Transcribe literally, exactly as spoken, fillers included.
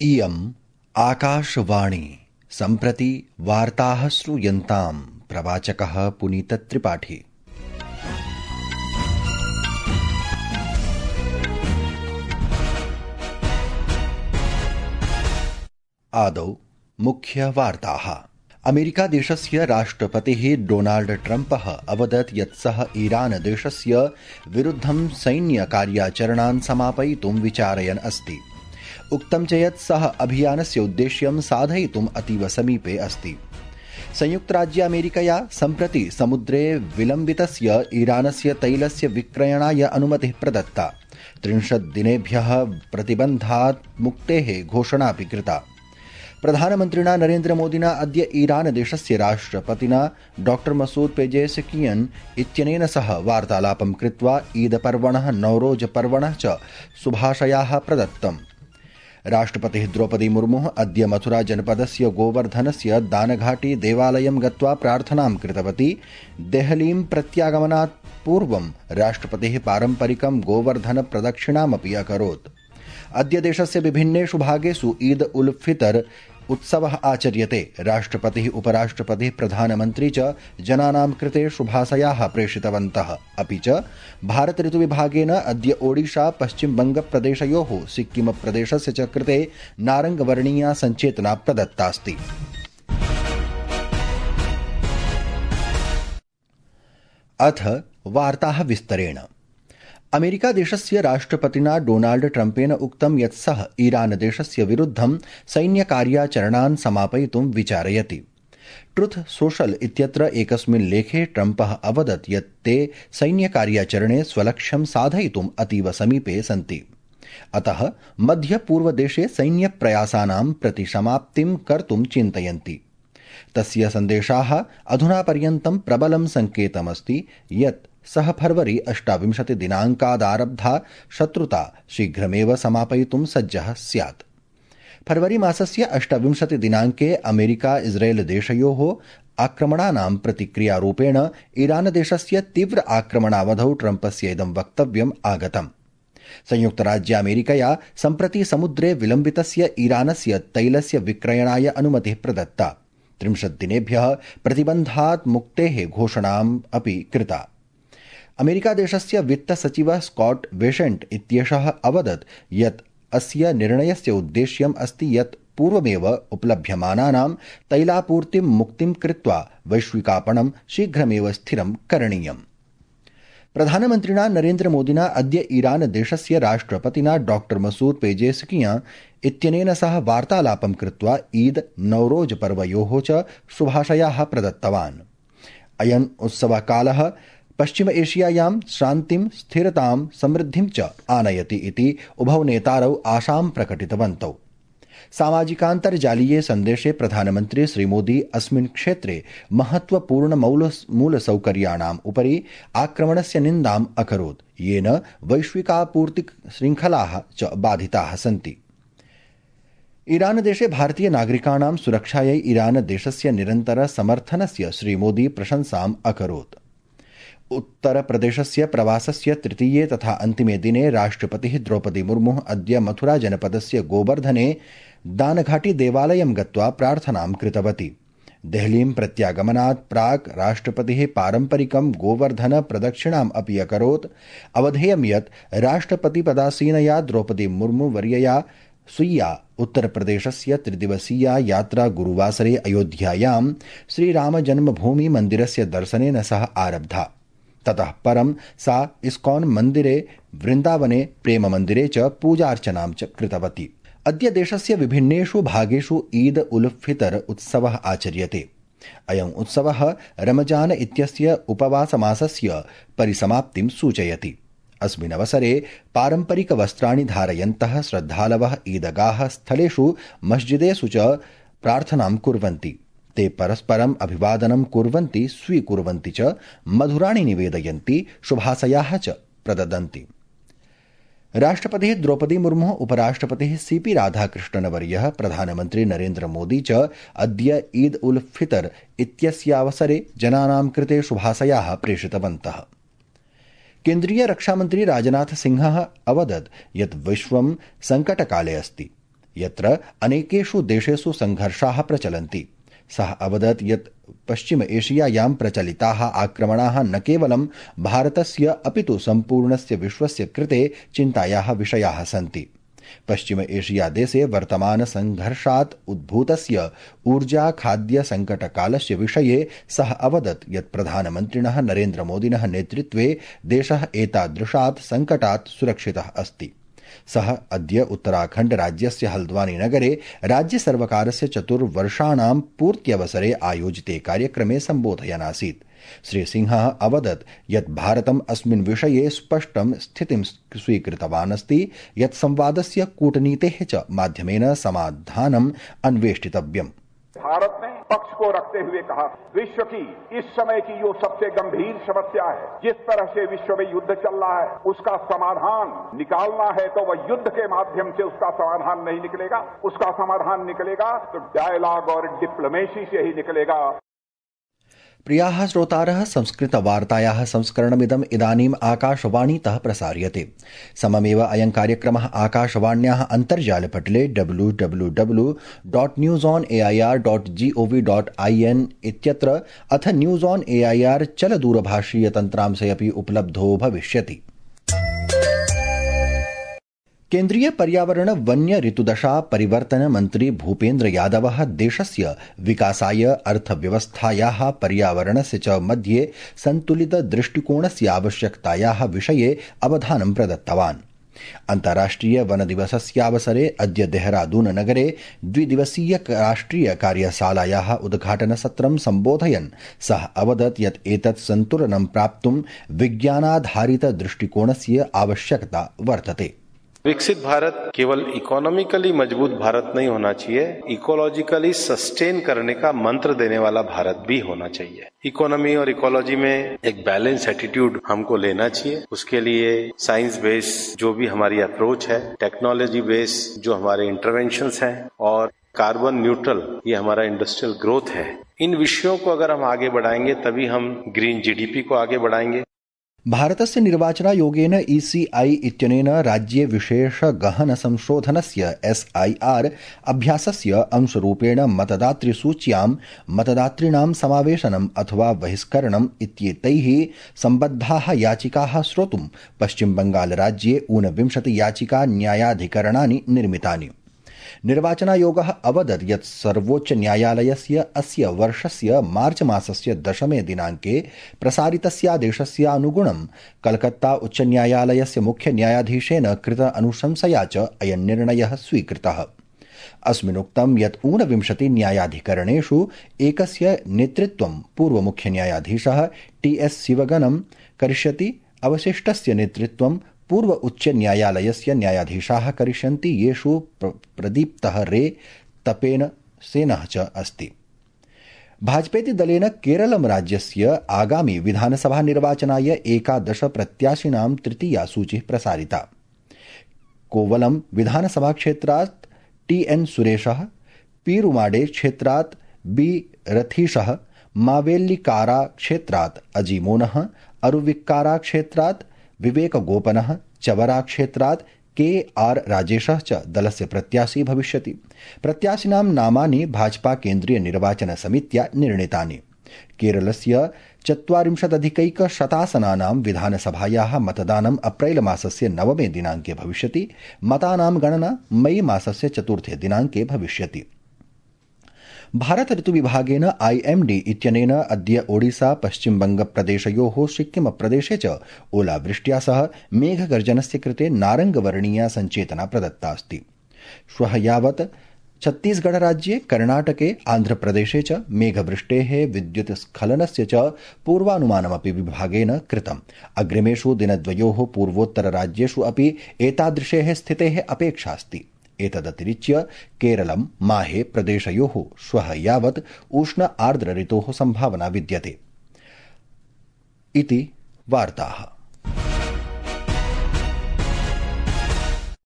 इयम् आकाशवाणी सम्प्रति वार्ताः श्रूयन्ताम्। प्रवाचकः पुनीतत्रिपाठी। आदौ मुख्यवार्ताः। अमेरिका देशस्य राष्ट्रपतिः डोनाल्ड ट्रम्पः अवदत् यत् सः ईरान देशस्य विरुद्धं सैन्यकार्याचरणान् समापयितुं विचारयन् अस्ति। उक्तं च यत् सः अभियानस्य उद्देश्यं साधयितुम् अतीव समीपे अस्ति। संयुक्तराज्य अमेरिकया सम्प्रति समुद्रे विलम्बितस्य ईरानस्य तैलस्य विक्रयणाय अनुमतिः प्रदत्ता। त्रिंशत् दिनेभ्यः प्रतिबन्धात् मुक्तेः घोषणापि कृता। प्रधानमन्त्रिणा नरेन्द्रमोदिना अद्य ईरान देशस्य राष्ट्रपतिना डॉक्टर मसूद पेजेशकियन् इत्यनेन सह वार्तालापं कृत्वा ईद पर्वणः नौरोज पर्वणः च शुभाशयाः प्रदत्तम्। राष्ट्रपतिः द्रौपदी मुर्मुः अद्य मथुरा जनपदस्य गोवर्धनस्य दानघाटी देवालयं गत्वा प्रार्थनां कृतवती। देहलीं प्रत्यागमनात् पूर्वं राष्ट्रपतिः पारम्परिकं गोवर्धन प्रदक्षिणामपि अकरोत्। अद्य देशस्य विभिन्नेषु भागेषु ईद उल फितर उत्सवः आचर्यते। राष्ट्रपतिः उपराष्ट्रपतिः प्रधानमन्त्री च जनानां कृते शुभाशयाः प्रेषितवन्तः। अपि च भारत ऋतुविभागेन अद्य ओडिशा पश्चिमबङ्गप्रदेशयोः सिक्किमप्रदेशस्य च कृते नारङ्गवर्णीया सञ्चेतना प्रदत्तास्ति। अथ वार्ताः विस्तरेण। अमेरिका देशस्य राष्ट्रपतिना डोनाल्ड ट्रम्पेन उक्तं यत् सः ईरान देशस्य विरुद्धं सैन्यकार्याचरणान् समापयितुं विचारयति। ट्रुथ सोशल इत्यत्र एकस्मिन् लेखे ट्रम्पः अवदत् यत् ते सैन्यकार्याचरणे स्वलक्ष्यं साधयितुम् अतीव समीपे सन्ति। अतः मध्यपूर्वदेशे सैन्यप्रयासानां प्रतिसमाप्तिं कर्तुं चिन्तयन्ति। तस्य सन्देशाः अधुना पर्यन्तं प्रबलं सङ्केतमस्ति यत् सः फरवरी अष्टाविंशति दिनाङ्कादारब्धा शत्रुता शीघ्रमेव समापयितुं सज्जः स्यात्। फरवरी मासस्य अष्टाविंशति दिनाङ्के अमेरिका इस्रेल देशयोः आक्रमणानां प्रतिक्रियारूपेण ईरान देशस्य तीव्र आक्रमणावधौ ट्रम्पस्य इदं वक्तव्यम् आगतम्। संयुक्तराज्यामेरिकया सम्प्रति समुद्रे विलम्बितस्य ईरानस्य तैलस्य विक्रयणाय अनुमतिः प्रदत्ता। त्रिंशत् दिनेभ्यः प्रतिबन्धात् मुक्तेः घोषणाम् अपि कृता। अमेरिका देशस्य वित्तसचिवः स्कॉट बेसेंट इत्येषः अवदत् यत् अस्य निर्णयस्य उद्देश्यम् अस्ति यत् पूर्वमेव उपलभ्यमानानां तैलापूर्तिं मुक्तिं कृत्वा वैश्विकापणं शीघ्रमेव स्थिरं करणीयम्। प्रधानमन्त्रिणा नरेन्द्रमोदिना अद्य ईरान देशस्य राष्ट्रपतिना डॉक्टर मसूद पेजेशकियां इत्यनेन सह वार्तालापं कृत्वा ईद नौरोज पर्वयोः च शुभाशयाः प्रदत्तवान्। अयम् उत्सवकालः पश्चिम एशियायां शान्तिं स्थिरतां समृद्धिं च आनयति इति उभौ नेतारौ आशां प्रकटितवन्तौ। सामाजिकान्तर्जालीये सन्देशे प्रधानमन्त्री श्रीमोदी अस्मिन् क्षेत्रे महत्वपूर्ण मूलसौकर्याणाम् उपरि आक्रमणस्य निन्दाम् अकरोत्, येन वैश्विकापूर्तिशृङ्खलाः च बाधिताः सन्ति। ईरान देशे भारतीय नागरिकाणां सुरक्षायै ईरान देशस्य निरन्तर समर्थनस्य श्रीमोदी प्रशंसाम् अकरोत्। उत्तरप्रदेशस्य प्रवासस्य तृतीये तथा अन्तिमे दिने राष्ट्रपतिः द्रौपदी मुर्मुः अद्य मथुरा जनपदस्य गोवर्धने दानघाटी देवालयं गत्वा प्रार्थनां कृतवती। देहलीं प्रत्यागमनात् प्राक् राष्ट्रपतिः पारम्परिकं गोवर्धन प्रदक्षिणाम् अपि अकरोत्। अवधेयं यत् राष्ट्रपतिपदासीनया द्रौपदी मुर्मु वर्यया स्वीया उत्तरप्रदेशस्य त्रिदिवसीया यात्रा गुरुवासरे अयोध्यायां श्रीरामजन्मभूमि मन्दिरस्य दर्शनेन सह आरब्धा। ततः परं सा इस्कॉन मन्दिरे, वृन्दावने, प्रेम मन्दिरे च पूजार्चनां च कृतवती। अद्य देशस्य विभिन्नेषु भागेषु ईद उल फितर उत्सवः आचर्यते। अयम् उत्सवः रमजान इत्यस्य उपवासमासस्य परिसमाप्तिं सूचयति। अस्मिन् अवसरे पारम्परिकवस्त्राणि धारयन्तः श्रद्धालवः ईदगाह स्थलेषु मस्जिदेषु च प्रार्थनां कुर्वन्ति। ते परस्परम् अभिवादनं कुर्वन्ति, स्वीकुर्वन्ति च, मधुराणि निवेदयन्ति, शुभाशयाः च प्रददन्ति। राष्ट्रपतिः द्रौपदी मुर्मुः, उपराष्ट्रपतिः सीपी राधाकृष्णनवर्यः, प्रधानमन्त्री नरेन्द्र मोदी च अद्य ईद उल फितर इत्यस्यावसरे जनानां कृते शुभाशयाः प्रेषितवन्तः। केन्द्रीय रक्षामन्त्री राजनाथ सिंहः अवदत् यत् विश्वं संकटकाले अस्ति। यत्र अनेकेषु देशेषु संघर्षाः प्रचलन्ति। सः अवदत् यत् पश्चिम एशियायां प्रचलिताः आक्रमणाः न केवलं भारतस्य अपितु सम्पूर्णस्य विश्वस्य कृते चिन्तायाः विषयाः सन्ति। पश्चिम एशिया देशे वर्तमान संघर्षात् उद्भूतस्य ऊर्जा खाद्य संकटकालस्य विषये सः अवदत् यत् प्रधानमन्त्रिणः नरेन्द्र मोदिनः नेतृत्वे देशः एतादृशात् संकटात् सुरक्षितः अस्ति। सः अद्य उत्तराखण्ड राज्यस्य हल्द्वानी नगरे राज्य सर्वकारस्य चतुर्वर्षाणां पूर्त्यवसरे आयोजिते कार्यक्रमे सम्बोधयन् आसीत्। श्री सिंहः अवदत् यत् भारतम् अस्मिन् विषये स्पष्टं स्थितिं स्वीकृतवान् अस्ति यत् संवादस्य कूटनीतेः च माध्यमेन समाधानम् अन्वेष्टितव्यम्। भारत ने पक्ष को रखते हुए कहा, विश्व की इस समय की जो सबसे गंभीर समस्या है, जिस तरह से विश्व में युद्ध चल रहा है, उसका समाधान निकालना है तो वह युद्ध के माध्यम से उसका समाधान नहीं निकलेगा। उसका समाधान निकलेगा तो डायलॉग और डिप्लोमेसी से ही निकलेगा। प्रियाः श्रोतारः, संस्कृतवार्तायाः संस्करणमिदम् इदानीम् आकाशवाणीतः प्रसार्यते। सममेव अयं कार्यक्रमः आकाशवाण्याः अन्तर्जालपटले W W W dot news on A I R dot G O V dot I N इत्यत्र अथ news on A I R चलदूरभाषीयतन्त्रांशे अपि उपलब्धो भविष्यति। केन्द्रीय पर्यावरण वन्य ऋतुदशा परिवर्तन मन्त्री भूपेन्द्र यादवः देशस्य विकासाय अर्थव्यवस्थायाः पर्यावरणस्य च मध्ये सन्तुलित दृष्टिकोणस्य आवश्यकतायाः विषये अवधानं प्रदत्तवान्। अन्ताराष्ट्रिय वन दिवसस्यावसरे अद्य देहरादून नगरे द्विदिवसीय राष्ट्रिय कार्यशालायाः उद्घाटनसत्रं सम्बोधयन् सः अवदत् यत् एतत् सन्तुलनं प्राप्तुं विज्ञानाधारित दृष्टिकोणस्य आवश्यकता वर्तते। विकसित भारत केवल इकोनॉमिकली मजबूत भारत नहीं होना चाहिए, इकोलॉजिकली सस्टेन करने का मंत्र देने वाला भारत भी होना चाहिए। इकोनॉमी और इकोलॉजी में एक बैलेंस एटीट्यूड हमको लेना चाहिए। उसके लिए साइंस बेस्ड जो भी हमारी अप्रोच है, टेक्नोलॉजी बेस्ड जो हमारे इंटरवेंशंस हैं और कार्बन न्यूट्रल ये हमारा इंडस्ट्रियल ग्रोथ है, इन विषयों को अगर हम आगे बढ़ाएंगे तभी हम ग्रीन जीडीपी को आगे बढ़ाएंगे। भारतस्य निर्वाचनायोगेन ई सी आई इत्यनेन राज्ये विशेष गहन संशोधनस्य एस् ऐ आर् अभ्यासस्य अंशरूपेण मतदातृसूच्यां मतदातॄणां समावेशनम् अथवा बहिष्करणम् इत्येतैः सम्बद्धाः याचिकाः श्रोतुं पश्चिमबंगालराज्ये ऊनविंशति याचिका न्यायाधिकरणानि निर्मितानि। निर्वाचनायोगः अवदत् यत् सर्वोच्च न्यायालयस्य अस्य वर्षस्य मार्च मासस्य दशमे दिनाङ्के प्रसारितस्यादेशस्य अनुगुणं कलकत्ता उच्च न्यायालयस्य मुख्य न्यायाधीशेन कृत अनुशंसया च अयं निर्णयः स्वीकृतः। अस्मिन्नुक्तं यत् ऊनविंशति न्यायाधिकरणेषु एकस्य नेतृत्वं पूर्वमुख्य न्यायाधीशः टी एस् शिवगनं करिष्यति, अवशिष्टस्य नेतृत्वं पूर्व उच्च न्यायालयस्य न्यायाधीशाः करिष्यन्ति, येषु प्रदीप्तः रे तपेन सेनः च अस्ति। भाजपेति दलेन केरलं राज्यस्य आगामि विधानसभा निर्वाचनाय एकादश प्रत्याशिनां तृतीया सूचिः प्रसारिता। कोवलम विधानसभा क्षेत्रात् टी एन सुरेशः, पीरुमाडे क्षेत्रात् बी रथीशः, मावेल्लिकारा क्षेत्रात् अजीमोनः, अरुविक्कारा क्षेत्रात् विवेक गोपनः, चवरा क्षेत्रात् के आर राजेशः च दलस्य प्रत्याशी भविष्यति। प्रत्याशिनां नामानि भाजपा केन्द्रीय निर्वाचन समित्या निर्णीतानि। केरलस्य चत्वारिंशदधिकैकशतासनानां विधानसभायाः मतदानम् अप्रैल मासस्य नवमे दिनाङ्के भविष्यति। मतानां गणना मई मासस्य चतुर्थे दिनाङ्के भविष्यति। भारत ऋतुविभागेन आई एम डी इत्यनेन अद्य ओडिसा पश्चिमबंगप्रदेशयोः सिक्किम प्रदेशे च ओलावृष्ट्या सह मेघगर्जनस्य कृते नारङ्गवर्णीया सञ्चेतना प्रदत्ता अस्ति। श्वः यावत् छत्तीसगढ़ राज्ये, कर्णाटके, आन्ध्रप्रदेशे च मेघवृष्टेः विद्युत् स्खलनस्य च पूर्वानुमानमपि विभागेन कृतम्। अग्रिमेषु दिनद्वयोः पूर्वोत्तरराज्येषु अपि एतादृशेः स्थितेः अपेक्षा अस्ति। एतदतिरिच्य केरलं, माहे प्रदेशयोः श्वः यावत् उष्ण आर्द्र ऋतोः सम्भावना विद्यते। इति वार्ताः।